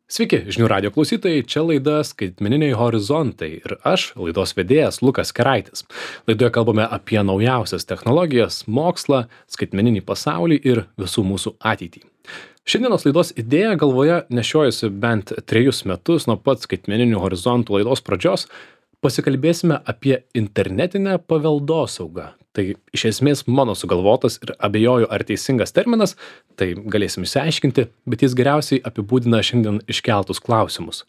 Sveiki, žinių radio klausytojai, čia laida Skaitmeniniai horizontai ir aš, laidos vedėjas Lukas Keraitis. Laidoje kalbame apie naujausias technologijas, mokslą, skaitmeninį pasaulį ir visų mūsų ateitį. Šiandienos laidos idėja galvoje nešiojusi bent 3 metus nuo pat Skaitmeninių horizontų laidos pradžios. Pasikalbėsime apie internetinę paveldosaugą. Tai iš esmės mano sugalvotas ir abejoju ar teisingas terminas, tai galėsim išsiaiškinti, bet jis geriausiai apibūdina šiandien iškeltus klausimus.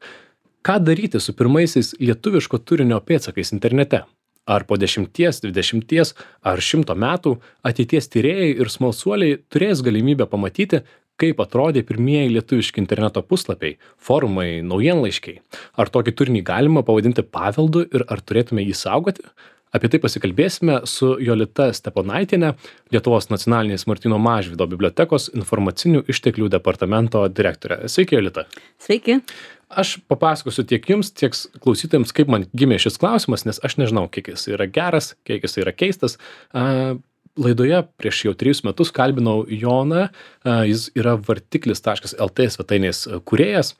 Ką daryti su pirmaisiais lietuviško turinio pėdsakais internete? Ar po 10, 20 ar 100 metų ateities tyrėjai ir smalsuoliai turės galimybę pamatyti, kaip atrodė pirmieji lietuviški interneto puslapiai, forumai, naujienlaiškiai? Ar tokį turinį galima pavadinti paveldu ir ar turėtume jį saugoti? Apie tai pasikalbėsime su Jolita Steponaitiene, Lietuvos nacionalinės Martyno Mažvydo bibliotekos informacinių išteklių departamento direktorė. Sveiki, Jolita. Sveiki. Aš papasakosiu tiek jums, tiek klausytojams, kaip man gimė šis klausimas, nes aš nežinau, kiek jis yra geras, kiek jis yra keistas. Laidoje prieš jau 3 metus kalbinau Joną, jis yra vartiklis.lt svetainės kūrėjas,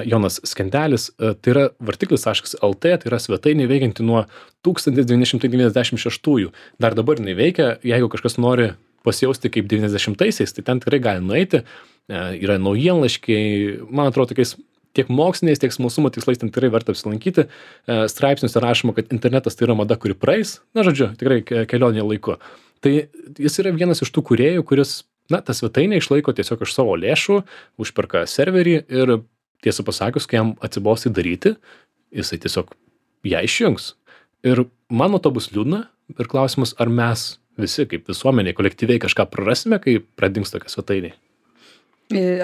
Jonas Skendelis, tai yra vartiklis.lt, tai yra svetainė veikianti nuo 1996. Dar dabar jinai veikia, jeigu kažkas nori pasijausti kaip 90-aisiais, tai ten tikrai gali nueiti, yra naujienlaiškiai, man atrodo, tokiais tiek moksliniais, tiek smalsumo tikslais ten tikrai verta apsilankyti. Straipsniuose rašoma, kad internetas tai yra mada, kuri praeis, tikrai kelionė laiku. Tai jis yra vienas iš tų kūrėjų, kuris, tą svetainę išlaiko tiesiog iš savo lėšų, užperka serverį ir tiesą pasakius, kai jam atsibos daryti, jisai tiesiog ją išjungs. Ir man nuo to bus liūdna ir klausimas, ar mes visi kaip visuomenė kolektyviai kažką prarasime, kai pradings tokia svetainė.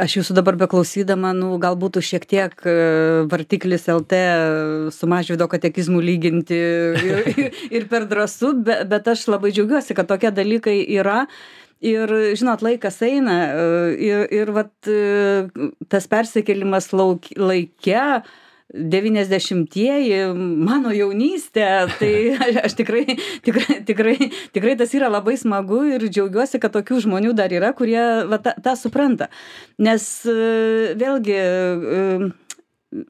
Aš jūsų dabar beklausydama, gal būtų šiek tiek vartiklis LT su Mažvydo katekizmų lyginti ir per drąsu, bet aš labai džiaugiuosi, kad tokie dalykai yra. Ir, žinot, laikas eina ir vat tas persikėlimas laike, 90-ieji, mano jaunystė, tai aš tikrai tas yra labai smagu ir džiaugiuosi, kad tokių žmonių dar yra, kurie tą supranta. Nes vėlgi,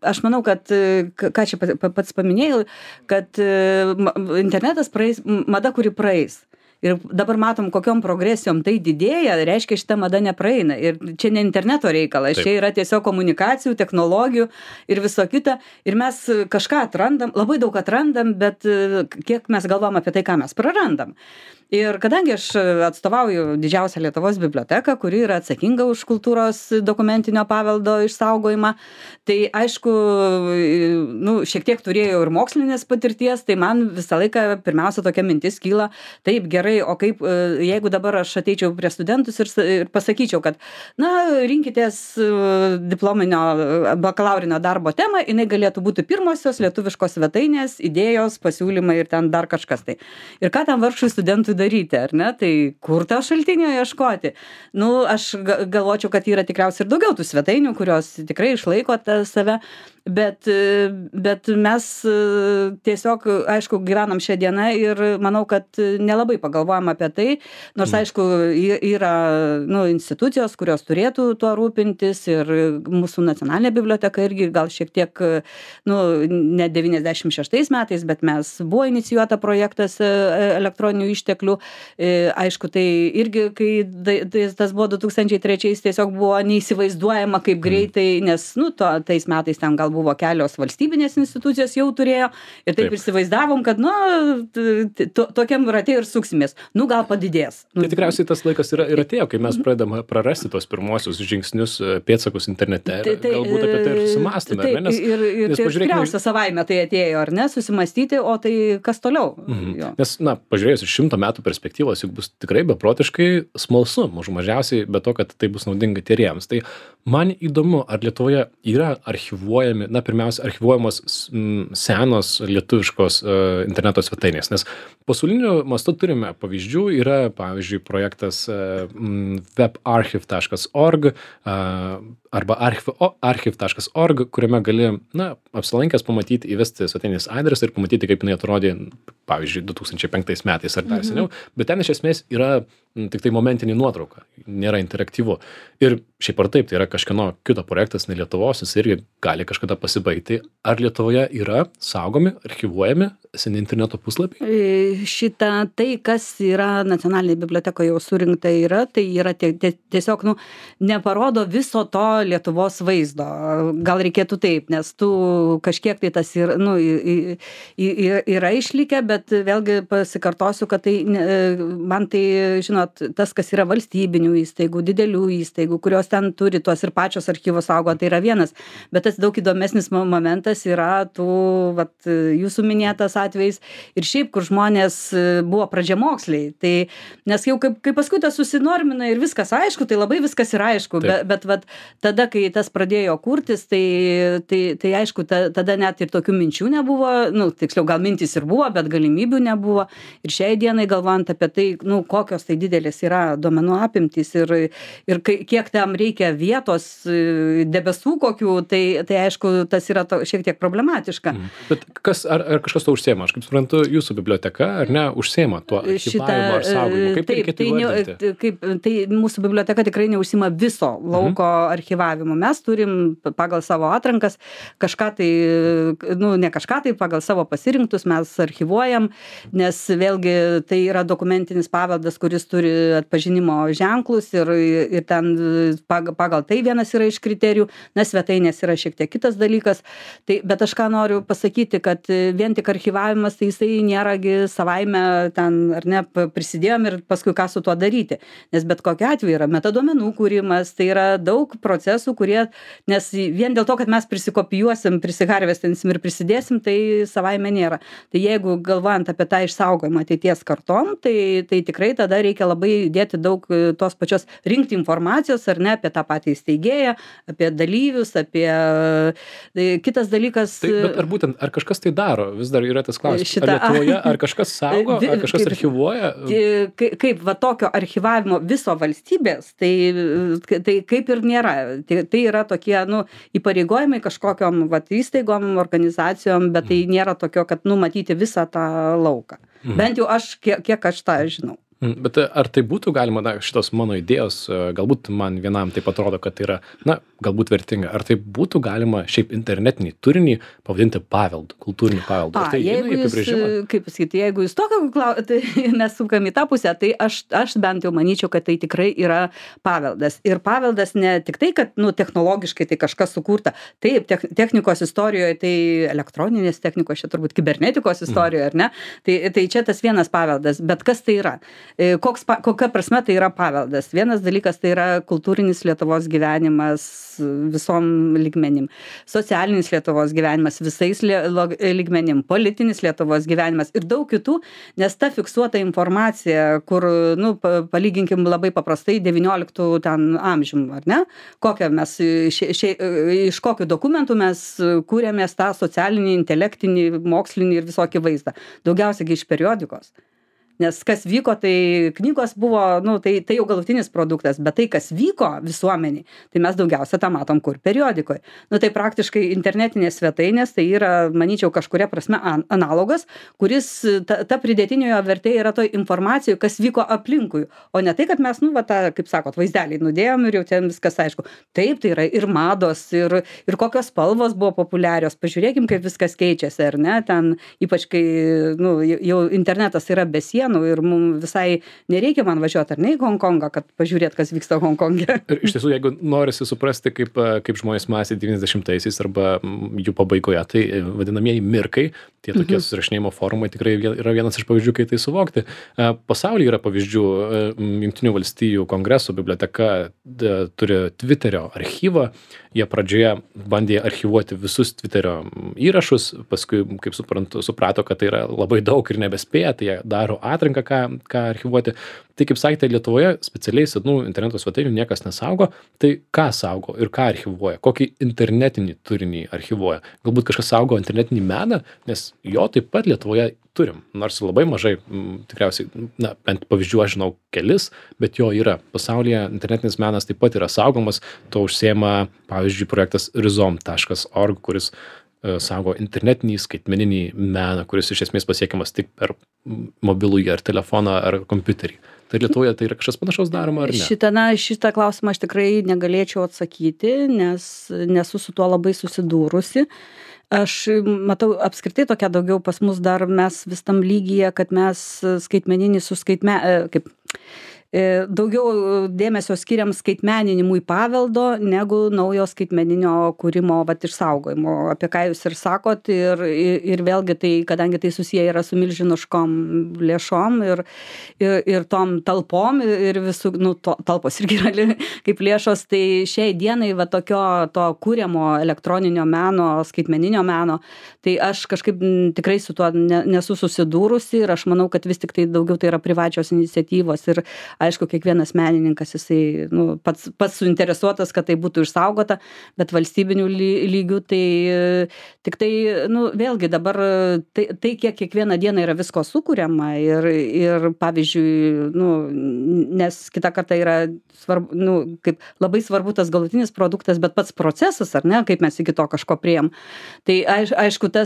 aš manau, kad, ką čia pats paminėjau, kad internetas praeis, mada, kuri praeis. Ir dabar matom, kokiom progresijom tai didėja, reiškia, šita mada nepraeina. Ir čia ne interneto reikalas, čia yra tiesiog komunikacijų, technologijų ir viso kita. Ir mes kažką atrandam, labai daug atrandam, bet kiek mes galvom apie tai, ką mes prarandam. Ir kadangi aš atstovauju didžiausią Lietuvos biblioteką, kuri yra atsakinga už kultūros dokumentinio paveldo išsaugojimą, tai aišku, šiek tiek turėjau ir mokslinės patirties, tai man visą laiką pirmiausia tokia mintis kyla, taip gerai, o kaip, jeigu dabar aš ateičiau prie studentus ir pasakyčiau, kad, rinkitės diplominio bakalaurinio darbo temą, jinai galėtų būti pirmosios lietuviškos svetainės, idėjos, pasiūlymai ir ten dar kažkas tai. Ir ką tam vargšui studentui daryti, ar ne? Tai kur tą šaltinio ieškoti? Aš galvočiau, kad yra tikriausiai ir daugiau tų svetainių, kurios tikrai išlaiko save, bet mes tiesiog, aišku, gyvenam šią dieną ir manau, kad nelabai pagalvojam apie tai, nors, aišku, yra institucijos, kurios turėtų tuo rūpintis ir mūsų nacionalinė biblioteka irgi gal šiek tiek, ne 96 metais, bet mes buvo inicijuota projektas elektroninių išteklių. Aišku, tai irgi, kai tas buvo 2003, tiesiog buvo neįsivaizduojama kaip greitai, nes, tais metais ten gal buvo kelios valstybinės institucijos jau turėjo ir taip įsivaizdavom, kad, tokiam rate ir suksimės. Gal padidės. Tai tikriausiai tas laikas ir atėjo, kai mes pradedame prarasti tos pirmosius žingsnius, pėdsakus internete. Galbūt apie tai ir susimąstame, ar ne? Ir tikriausia savaime tai atėjo, ar ne? Susimąstyti, o tai kas toliau? Nes, pažiūrėjus iš 100 metų perspektyvos, juk bus tikrai beprotiškai smalsu, mažiausiai, be to, kad tai bus naudinga tyrėjams. Tai man įdomu, ar Lietuvoje yra archyvuojami, pirmiausia, archyvuojamos senos lietuviškos interneto svetainės, nes pasauliniu mastu turime pavyzdžių, yra, pavyzdžiui, projektas webarchive.org arba archive.org, kuriame gali, apsilankęs pamatyti, įvesti svetainės adresą ir pamatyti, kaip jinai atrodė, pavyzdžiui, 2005 metais ar dar seniau, bet ten iš esmės yra tik tai momentinė nuotrauka, nėra interaktyvu. Ir šiaip ar taip, tai yra kažkieno kito projektas, ne Lietuvos, jis irgi gali kažkada pasibaigti. Ar Lietuvoje yra saugomi, archyvuojami seni interneto puslapiai? Tai, kas yra nacionalinėje bibliotekoje jau surinkta tai yra tiesiog, neparodo viso to Lietuvos vaizdo. Gal reikėtų taip, nes kažkiek tai tas yra išlikę, bet vėlgi pasikartosiu, kad man tai, žinot, tas, kas yra valstybinių įstaigų, didelių įstaigų, kurios ten turi tuos ir pačios archyvus saugo, tai yra vienas. Bet tas daug įdomesnis momentas yra jūsų minėtas atvejais ir šiaip, kur žmonės buvo pradžiamoksliai. Tai, nes jau kai paskui tas susinormina ir viskas aišku, tai labai viskas yra aišku. Bet tada, kai tas pradėjo kurtis, tai aišku, tada net ir tokių minčių nebuvo, tiksliau gal mintys ir buvo, bet galimybių nebuvo. Ir šiai dienai galvojant apie tai, kokios tai didelės yra duomenų apimtys ir kiek tam reikia vietos, debesų kokių, tai aišku, tas yra šiek tiek problematiška. Bet ar kažkas to užsiema? Aš kaip suprantu, jūsų biblioteka, ar ne, užsiema tuo archyvavimu ar saugojimu? Kaip reikėtų įvardinti? Tai mūsų biblioteka tikrai neužsiima viso lauko archyvavimu. Mes turim pagal savo atrankas kažką tai, ne kažką tai, pagal savo pasirinktus mes archyvuojam, nes vėlgi tai yra dokumentinis paveldas, kuris turi atpažinimo ženklus ir ten pagal tai vienas yra iš kriterijų, svetainės yra šiek tiek kitas dalykas. Bet aš ką noriu pasakyti, kad vien tik archyvavimas, tai jisai nėragi savaime ten, ar ne, prisidėjom ir paskui ką su tuo daryti. Nes bet kokiu atveju yra metaduomenų kūrimas, tai yra daug procesų, nes vien dėl to, kad mes prisikopijuosim, prisiharvestinsim ir prisidėsim, tai savaime nėra. Tai jeigu galvojant apie tą išsaugojimą ateities kartom, tai tikrai tada reikia labai dėti daug tos pačios rinkti informacijos, ar ne, apie tą patį steigėją, apie dalyvius, apie kitas dalykas. Bet ar kažkas tai daro? Vis dar yra tas klausimas. Ar Lietuvoje, ar kažkas saugo, ar kažkas archyvuoja? Kaip tokio archyvavimo viso valstybės, tai kaip ir nėra. Tai yra tokie, įpareigojimai kažkokiom įstaigom, organizacijom, bet tai nėra tokio, kad matyti visą tą lauką. Bent jau kiek aš tą žinau. Bet ar tai būtų galima, šitos mano idėjos, galbūt man vienam taip atrodo, kad tai yra, galbūt vertinga, ar tai būtų galima šiaip internetinį turinį pavadinti paveldu, kultūrinį paveldu? Ar tai įeina į apibrėžimą? Kaip pasakyti, jeigu jūs tokio tai mes sukam į tą pusę, tai aš bent jau manyčiau, kad tai tikrai yra paveldas. Ir paveldas ne tik tai, kad technologiškai tai kažkas sukurta. Taip, technikos istorijoje, tai elektroninės technikos, čia turbūt kibernetikos istorijoje, ar ne? Tai čia tas vienas paveldas, bet kas tai yra? Kokia prasme tai yra paveldas? Vienas dalykas tai yra kultūrinis Lietuvos gyvenimas visom lygmenim, socialinis Lietuvos gyvenimas visais lygmenim, politinis Lietuvos gyvenimas ir daug kitų, nes ta fiksuota informacija, kur, palyginkim labai paprastai 19 ten amžium, ar ne? Kokią mes, iš kokių dokumentų mes kūrėmės tą socialinį, intelektinį, mokslinį ir visokį vaizdą. Daugiausiai iš periodikos. Nes kas vyko, tai knygos buvo, tai jau galutinis produktas, bet tai, kas vyko visuomeniai, tai mes daugiausia tą matom kur periodikoje. Tai praktiškai internetinės svetainės, tai yra, manyčiau, kažkuria prasme analogas, kuris, ta pridėtiniojo vertė yra toj informacijoje, kas vyko aplinkui, o ne tai, kad mes, tą, kaip sakot, vaizdelį nudėjom ir jau ten viskas aišku. Taip, tai yra ir mados, ir kokios spalvos buvo populiarios. Pažiūrėkim, kaip viskas keičiasi, ar ne? Ten, ypač kai, jau internetas yra be sienų, ir mums visai nereikia man važiuoti ar ne į Honkongą, kad pažiūrėt, kas vyksta Hongkonge. Ir iš tiesų, jeigu norisi suprasti, kaip žmonės mąstė 90-aisiais arba jų pabaigoje, tai vadinamieji mirkai, tie tokie susirašinėjimo forumai tikrai yra vienas iš pavyzdžių, kai tai suvokti. Pasaulyje yra pavyzdžių, Jungtinių valstijų kongreso biblioteka turi Twitterio archyvą, jie pradžioje bandė archyvuoti visus Twitterio įrašus, paskui, kaip suprato, kad tai yra labai daug ir nebespėja, tai jie daro atranką, ką archyvuoti. Tai kaip sakėte, Lietuvoje specialiai senų interneto svetainių niekas nesaugo, tai ką saugo ir ką archyvuoja, kokį internetinį turinį archyvuoja. Galbūt kažkas saugo internetinį meną, nes jo taip pat Lietuvoje turim, nors labai mažai, tikriausiai, bent pavyzdžių aš žinau kelis, bet jo yra. Pasaulyje internetinis menas taip pat yra saugomas, to užsiema, pavyzdžiui, projektas rizom.org, kuris saugo internetinį, skaitmeninį meną, kuris iš esmės pasiekiamas tik per mobilųjį ar telefoną ar kompiuterį. Tai Lietuvoje tai yra kažkas panašaus daroma ar ne? Šitą klausimą aš tikrai negalėčiau atsakyti, nes nesu su tuo labai susidūrusi. Aš matau apskritai tokia daugiau pas mus dar mes vis tam lygyje, kad mes skaitmeninį daugiau dėmesio skiriam skaitmeninimui paveldo negu naujo skaitmeninio kūrimo išsaugojimo, apie ką jūs ir sakot, ir vėlgi tai, kadangi tai susiję yra su milžiniškom lėšom ir tom talpom ir visų, talpos irgi yra kaip lėšos, tai šiai dienai to kūriamo elektroninio meno, skaitmeninio meno, tai aš kažkaip tikrai su tuo nesu susidūrusi ir aš manau, kad vis tik tai daugiau tai yra privačios iniciatyvos ir aišku, kiekvienas menininkas, jisai pats suinteresuotas, kad tai būtų išsaugota, bet valstybinių lygių tai tik tai, vėlgi dabar tai kiek kiekvieną dieną yra visko sukuriama ir pavyzdžiui, nes kitą kartą yra svarbu, kaip labai svarbu tas galutinis produktas, bet pats procesas, ar ne, kaip mes iki to kažko priėjom. Tai aišku, tą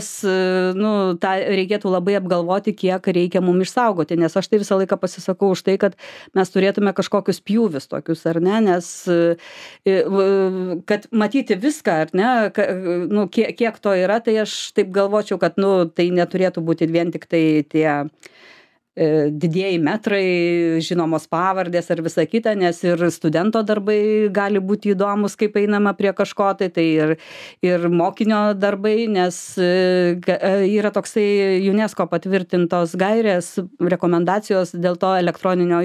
reikėtų labai apgalvoti, kiek reikia mums išsaugoti, nes aš tai visą laiką pasisakau už tai, kad mes turėtume kažkokius pjūvius tokius, ar ne, nes kad matyti viską, ar ne, kiek to yra, tai aš taip galvočiau, kad tai neturėtų būti vien tik tai tie didieji metrai, žinomos pavardės ar visa kita, nes ir studento darbai gali būti įdomus, kaip einama prie kažko, tai ir mokinio darbai, nes yra toksai UNESCO patvirtintos gairės, rekomendacijos dėl to elektroninio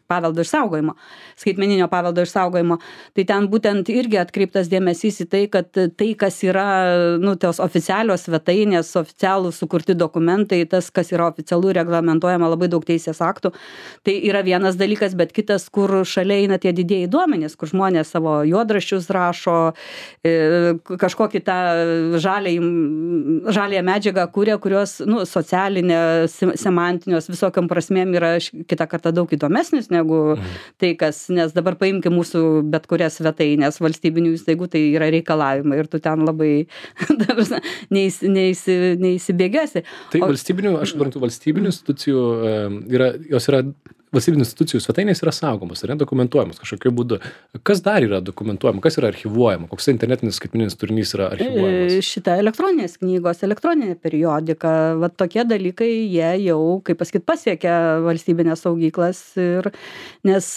paveldo išsaugojimo, skaitmeninio paveldo išsaugojimo. Tai ten būtent irgi atkreiptas dėmesys į tai, kad tai, kas yra, tos oficialios svetainės, oficialūs sukurti dokumentai, tas, kas yra oficialų reglamentuojama labai daug teisės aktų, tai yra vienas dalykas, bet kitas, kur šalia eina tie didieji duomenys, kur žmonės savo juodraščius rašo, kažkokį tą žaliąją medžiagą kūrė, kurios socialinė, semantinios visokiam prasmėm yra kitą kartą daug įdomesnis negu tai, kas, nes dabar paimkim mūsų bet kurias svetainės valstybinių įstaigų, tai yra reikalavimai ir tu ten labai neįsibėgėsi. Tai valstybinių, aš suprantu, valstybinių institucijų valstybinių institucijų svetainės yra saugomos, ar ne, dokumentuojamos kažkokiu būdu. Kas dar yra dokumentuojama, kas yra archyvuojama, koks internetinis skaitmeninis turinys yra archyvuojamas? Šita elektroninės knygos, elektroninė periodika, tokie dalykai, jie jau, kaip pasakyti, pasiekia valstybinės saugyklas nes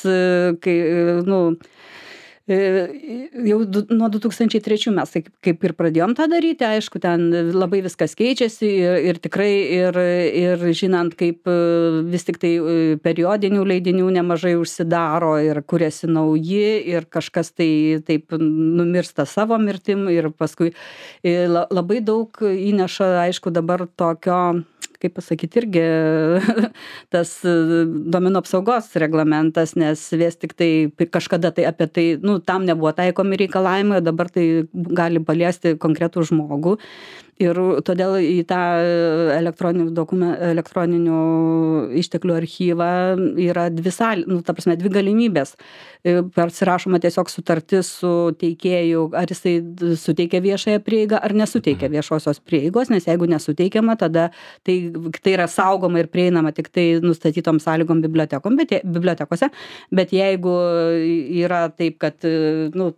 kai, jau nuo 2003 mes kaip ir pradėjom tą daryti, aišku, ten labai viskas keičiasi ir tikrai ir žinant, kaip vis tik tai periodinių leidinių nemažai užsidaro ir kuriasi nauji ir kažkas tai taip numirsta savo mirtim ir paskui labai daug įneša, aišku, dabar tokio, kaip pasakyti, irgi tas duomenų apsaugos reglamentas, nes vis tik tai kažkada tai apie tai, tam nebuvo taikomi reikalavimai, o dabar tai gali paliesti konkretų žmogų. Ir todėl į tą elektroninių išteklių archyvą yra dvi galimybės. Persirašoma tiesiog sutartis su teikėju, ar jisai suteikia viešąją prieigą, ar nesuteikia viešosios prieigos, nes jeigu nesuteikiama, tada tai yra saugoma ir prieinama tik tai nustatytom sąlygom bibliotekose, bet jeigu yra taip, kad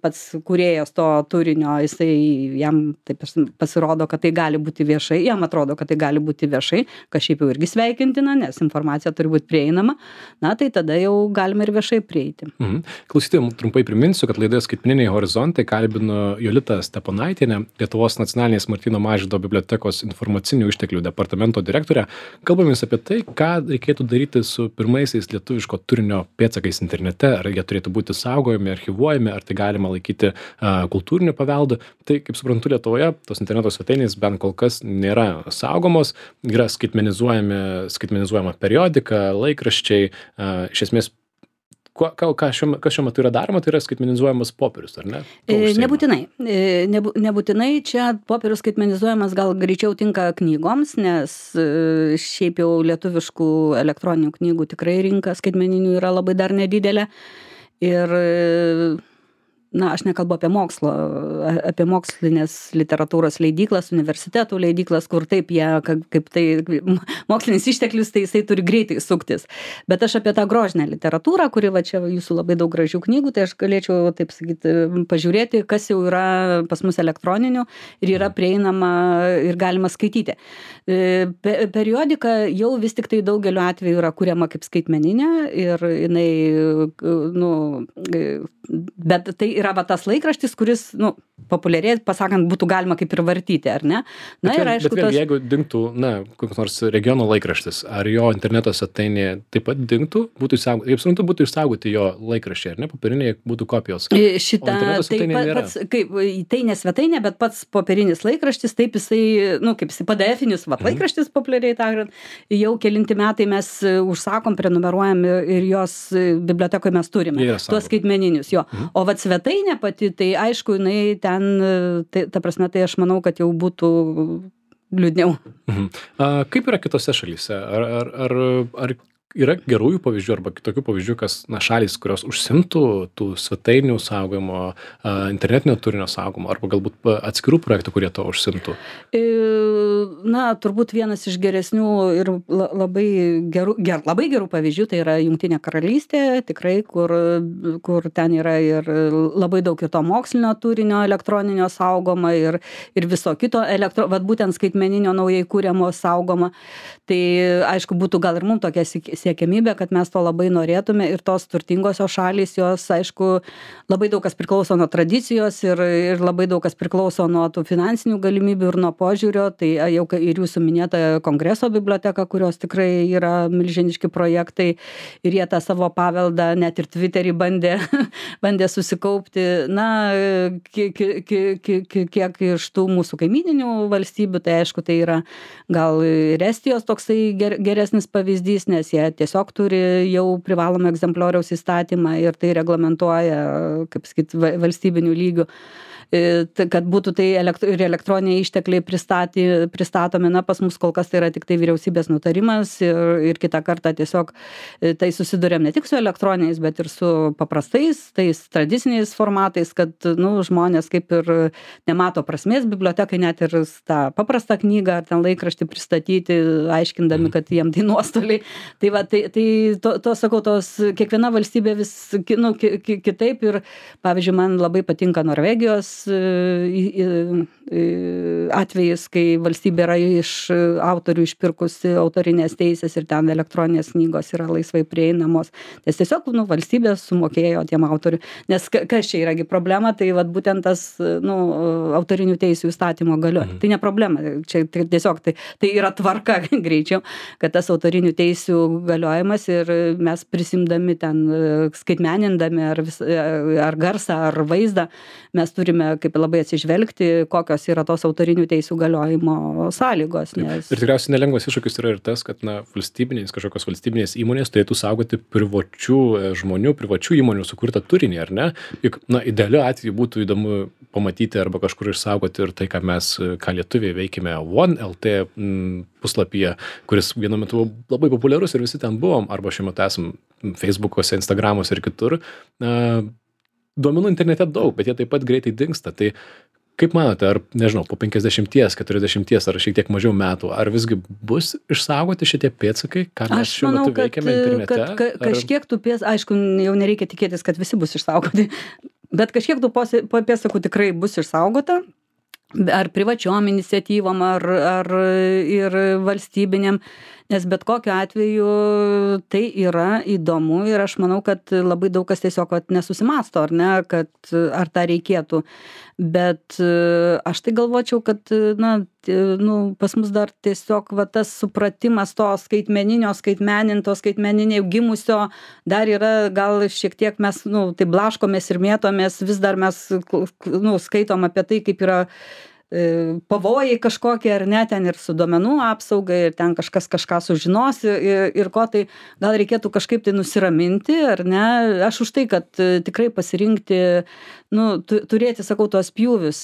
pats kūrėjas to turinio, jisai jam taip pasirodo, kad tai gali būti viešai, jam atrodo, kad tai gali būti viešai, kas šiaip jau irgi sveikintina, nes informacija turi būti prieinama, tai tada jau galime ir viešai prieiti. Klausytojams trumpai priminsiu, kad laidoje Skaitmeniniai horizontai kalbino Jolitą Steponaitienę, Lietuvos nacionalinės Martyno Mažvydo bibliotekos informacinių išteklių departamento direktorę. Kalbamės apie tai, ką reikėtų daryti su pirmaisiais lietuviško turinio pėdsakais internete, ar jie turėtų būti saugojami, archyvuojami, ar tai galima laikyti kultūriniu paveldu. Tai, kaip suprantu, Lietuvoje tos interneto svetainės bent kol kas nėra saugomos, yra skaitmenizuojama periodika, laikraščiai, iš esmės kas šiuo metu yra daroma, tai yra skaitmenizuojamas popierius, ar ne? Nebūtinai čia popierius skaitmenizuojamas gal greičiau tinka knygoms, nes šiaip jau lietuviškų elektroninių knygų tikrai rinka skaitmeninių yra labai dar nedidelė. Ir na, aš nekalbu apie mokslo, apie mokslinės literatūros leidyklas, universitetų leidyklas, kur taip jie, kaip tai mokslinis išteklius, tai jisai turi greitai suktis. Bet aš apie tą grožinę literatūrą, kuri va čia jūsų labai daug gražių knygų, tai aš galėčiau, taip sakyti, pažiūrėti, kas jau yra pas mus elektroninių ir yra prieinama ir galima skaityti. Periodika jau vis tik tai daugeliu atveju yra kuriama kaip skaitmeninė ir jinai, nu, bet tai yra va tas laikraštis, kuris, nu, populiariai pasakant, būtų galima kaip ir vartyti, ar ne? Na ir aišku, bet jeigu dingtų, na, koks nors regiono laikraštis, ar jo interneto svetainė taip pat dingtų, būtų išsaugoti, kaip suprantu, būtų išsaugoti jo laikraščiai, ar ne, popieriniai būtų kopijos. Šitą, tai ne svetainė, bet pats popierinis laikraštis, taip jisai, nu, kaip jisai PDF-inis laikraštis populiariai tariant, jau kelinti metai mes užsakom, prenumeruojam ir jos bibliotekoje mes turime, tuos skaitmeninius, jo. O vat svetainė pati, tai aišku, jinai ten, tai, ta prasme, tai aš manau, kad jau būtų liūdniau. Kaip yra kitose šalyse? Ar yra gerųjų pavyzdžių arba kitokių pavyzdžių, kas, na, šalys, kurios užsimtų tų svetainių saugojimo, internetinio turinio saugojimo, arba galbūt atskirų projektų, kurie to užsimtų? Na, turbūt vienas iš geresnių ir labai gerų pavyzdžių, tai yra Jungtinė karalystė, tikrai, kur ten yra ir labai daug ir to mokslinio turinio elektroninio saugoma ir viso kito vat būtent skaitmeninio naujai kūriamo saugoma. Tai aišku, būtų gal ir mums tokia siekiamybė, kad mes to labai norėtume ir tos turtingosios šalys, jos, aišku, labai daug kas priklauso nuo tradicijos ir labai daug kas priklauso nuo tų finansinių galimybių ir nuo požiūrio, tai jau ir jūsų minėta Kongreso biblioteka, kurios tikrai yra milžiniški projektai ir jie tą savo paveldą net ir Twitterį bandė susikaupti. Na, kiek iš tų mūsų kaimyninių valstybių, tai aišku, tai yra gal ir Estijos toksai geresnis pavyzdys, nes jie tiesiog turi jau privalomą egzemplioriaus įstatymą ir tai reglamentuoja, kaip sakyti, valstybinių lygių, kad būtų tai ir elektroniniai ištekliai pristatomi. Na, pas mus kol kas tai yra tik tai vyriausybės nutarimas ir kitą kartą tiesiog tai susidurėm ne tik su elektroniniais, bet ir su paprastais, tais tradiciniais formatais, kad, nu, žmonės kaip ir nemato prasmės bibliotekai net ir tą paprastą knygą ar ten laikraštį pristatyti, aiškindami, kad jiem tai nuostoliai. Tai va, to sakau, kiekviena valstybė vis, nu, kitaip ir, pavyzdžiui, man labai patinka Norvegijos atvejis, kai valstybė yra iš autorių išpirkusi autorinės teisės ir ten elektroninės knygos yra laisvai prieinamos. Nes tiesiog, nu, valstybė sumokėjo tiem autorių. Nes kas čia yragi problema, tai vat būtent tas, nu, autorinių teisių įstatymo galioja. Tai ne problema, čia tiesiog tai yra tvarka greičiau, kad tas autorinių teisių galiojimas ir mes prisimdami ten, skaitmenindami ar garsą, ar vaizdą, mes turime kaip labai atsižvelgti, kokios yra tos autorinių teisių galiojimo sąlygos. Nes... Ir tikriausiai nelengvas iššūkis yra ir tas, kad, na, kažkokios valstybinės įmonės turėtų saugoti privačių žmonių, privačių įmonių sukurtą turinį, ar ne? Juk, na, idealiu atveju būtų įdomu pamatyti arba kažkur išsaugoti ir tai, ką lietuviai veikime OneLT puslapyje, kuris vienu metu buvo labai populiarus ir visi ten buvom, arba šiuo metu esam Facebook'ose, Instagram'ose ir kitur. Duomenų internete daug, bet jie taip pat greitai dingsta. Tai kaip manote, ar, nežinau, po 50, 40 ar šiek tiek mažiau metų, ar visgi bus išsaugoti šitie pėdsakai, ką mes šiuo metu veikiame internete? Kažkiek tų aišku, jau nereikia tikėtis, kad visi bus išsaugoti, bet kažkiek tų pėdsakų tikrai bus išsaugota, ar privačiom iniciatyvom, ar ir valstybinėm, nes bet kokiu atveju tai yra įdomu ir aš manau, kad labai daug kas tiesiog nesusimąsto, ar ne, kad ar tą reikėtų. Bet aš tai galvočiau, kad, na, nu, pas mus dar tiesiog va, tas supratimas to skaitmeninio gimusio dar yra, gal šiek tiek mes, nu, tai blaškomės ir mėtomės, vis dar mes, nu, skaitom apie tai, kaip yra pavojai kažkokie ar ne, ten ir su duomenų apsauga, ir ten kažkas kažką sužinos ir ko, tai gal reikėtų kažkaip tai nusiraminti, ar ne. Aš už tai, kad tikrai pasirinkti, turėti, sakau, tuos pjūvius.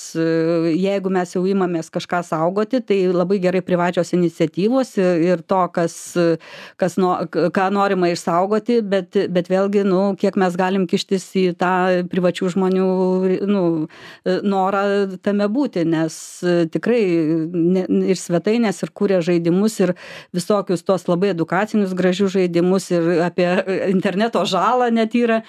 Jeigu mes jau imamės kažką saugoti, tai labai gerai privačios iniciatyvos ir to, ką norima išsaugoti, bet vėlgi, kiek mes galim kištis į tą privačių žmonių norą tame būti, nes tikrai ir svetainės, ir kūrė žaidimus, ir visokius tos labai edukacinius gražius žaidimus, ir apie interneto žalą net yra,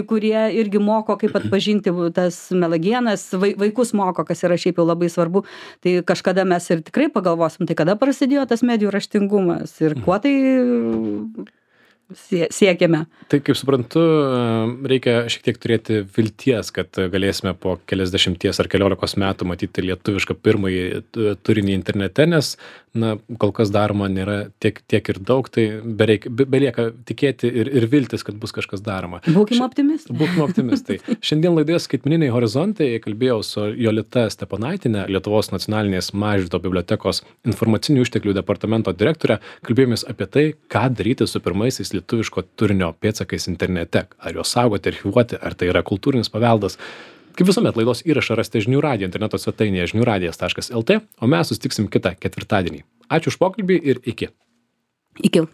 kurie irgi moko, kaip atpažinti tas melagienas, vaikus moko, kas yra šiaip jau labai svarbu. Tai kažkada mes ir tikrai pagalvosim, tai kada prasidėjo tas medijų raštingumas ir kuo tai siekiame. Tai, kaip suprantu, reikia šiek tiek turėti vilties, kad galėsime po keliasdešimties ar 14 metų matyti lietuvišką pirmąjį turinį internete, nes, kol kas daroma nėra tiek ir daug, tai belieka tikėti ir viltis, kad bus kažkas daroma. Būkime optimistai. Būkime optimistai. Šiandien laidoje Skaitmeniniai horizontai kalbėjau su Jolita Steponaitiene, Lietuvos nacionalinės Mažvydo bibliotekos informacinių išteklių departamento direktorė. Kalbėjomės apie tai, ką daryti su pirmaisiais lietuviško turinio pėdsakais internete. Ar juos saugoti, archyvuoti, ar tai yra kultūrinis paveldas. Kaip visuomet, laidos įrašą rasite žinių radijo interneto svetainėje žiniųradijas.lt, o mes susitiksim kitą ketvirtadienį. Ačiū už pokalbį ir iki. Iki.